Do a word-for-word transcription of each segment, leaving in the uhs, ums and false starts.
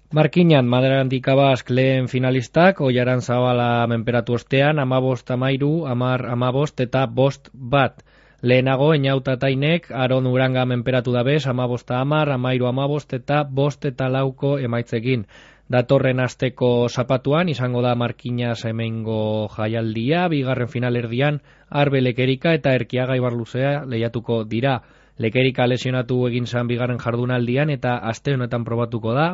Markinan, Madrandik Abask lehen finalistak, Oiaran Zabala menperatu ostean, amabost amairu, amar amabost eta bost bat. Lehenago, Eñauta Tainek, Aron Uranga menperatu dabez, amabosta amar, amairu amabost eta bost eta lauko emaitzekin. Datorren asteko zapatuan, izango da Markinas hemengo jaialdia, bigarren finalerdian, Arbe Lekerika eta Erkiaga Ibarluzea lehiatuko dira. Lekerika lesionatu egin zan bigarren jardunaldian eta aste honetan probatuko da,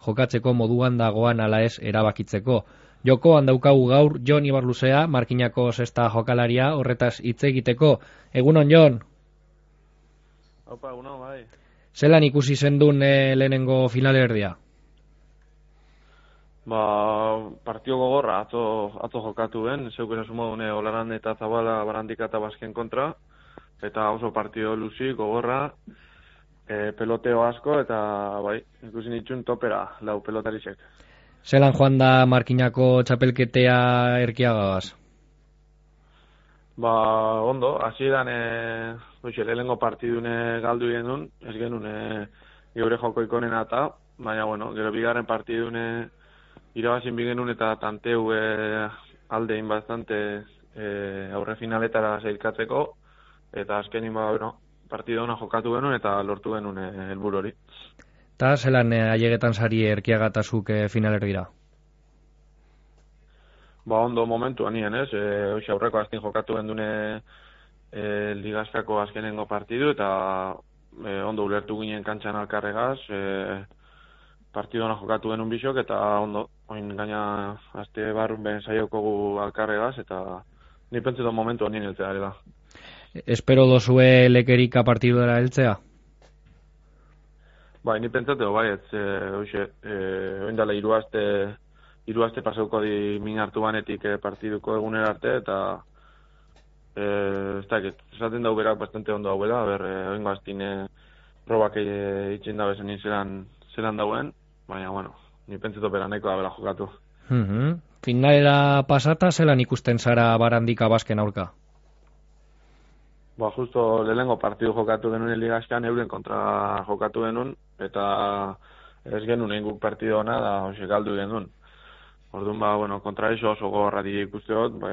jokatzeko moduan dagoan ala ez erabakitzeko. Jokoan daukagu gaur Jon Ibarluzea, Markinako sexta jokalaria, horretaz hitz egiteko. Egunon, Jon? Opa, egunon, bai. Zelan ikusi zendun e, lehenengo finalerdia? Ba, partio gogorra, atzo, atzo jokatu ben, zeuken esu modune Olaran eta Zabala Barandika eta Basken kontra, eta oso partio luzi, gogorra, e, peloteo asko, eta bai, ikusi nitxun topera, lau pelotarisek. Zelan joan da Markinako txapelketea Erkiagagaz? Ba, ondo, hasieran e, oixe, lehenengo partidune galdu genuen, ez genuen e, geure joko ikonena eta, baina, bueno, gero bigarren partidune irabazin bigenun eta tanteu e, aldein bastante e, aurre finaletara zeilkatzeko, eta azkenin ba, bueno, partido ona jokatu genuen eta lortu genuen e, helburu hori. Eta zelan e, ailegetan sari Erkiagatazuk e, finalerdira? Ba, ondo momentu anien, ez? E, oixe, aurreko azken jokatu gendune e, ligazkako azkenengo partidu, eta e, ondo ulertu ginen kantxan alkarregaz, e, partidu ona jokatu genuen bisok, eta ondo, oin gaina azte barrun ben saiokogu alkarregaz, eta ni pentsetan momentu anien heltzea ere da. Espero dozue Lekerika partidura heltzea? Bai, ni pentsateo, bai, ez, e, oixe, e, oin dala hiru aste, hiru aste pasauko di min hartu banetik e, partiduko egunera arte, eta e, ez dakit, esaten dau berak bastante ondo dauela, ber, e, oingo aztin e, probak e, itxin da bezen zelan, zelan dauen, baina, bueno, ni pentseto bera nahiko da bela jokatu. Mm-hmm. Finalera pasata, zelan ikusten zara Barandika Basken aurka? Ba, justo lehenengo partidu jokatu genuen ligazkan, euren kontra jokatu genuen, eta ez genuen egin guk partidu ona, da hoxe galdu genuen. Orduan, ba, bueno, kontra iso oso gogorra di ikusteot, ba,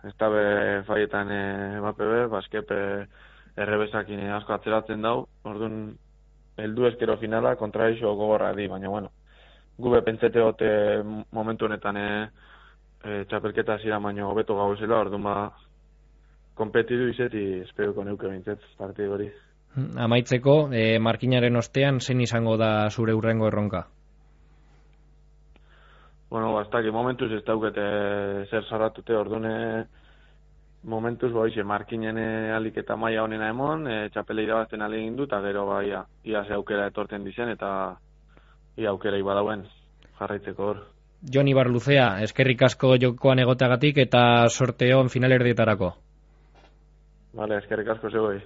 ez da be faietan e, bapebe, baskepe errebesakin asko atzeratzen dau, orduan, heldu eskero finala kontra iso gogorra di, baina, bueno, gube pentseteot e, momentu honetan e, e, txapelketa zira baino hobeto gauzela, orduan, ba, kompetidu izeti esperuko neuke bintzet partidu hori. Amaitzeko, e, Markinaren ostean, zen izango da zure hurrengo erronka? Bueno, bastaki, momentuz ez daukete zer zaratute, ordune momentuz, ba, ize, Markinen aliketa maila honena emon, e, txapele irabazten alegin du, eta gero, ba, ia, ia ze aukera etorten dizen, eta ia aukera ibadauen jarraitzeko hor. Jon Ibarluzea, eskerrik asko jokoan egoteagatik eta sorteon finalerdietarako. Vale, eskerrik asko zegoi.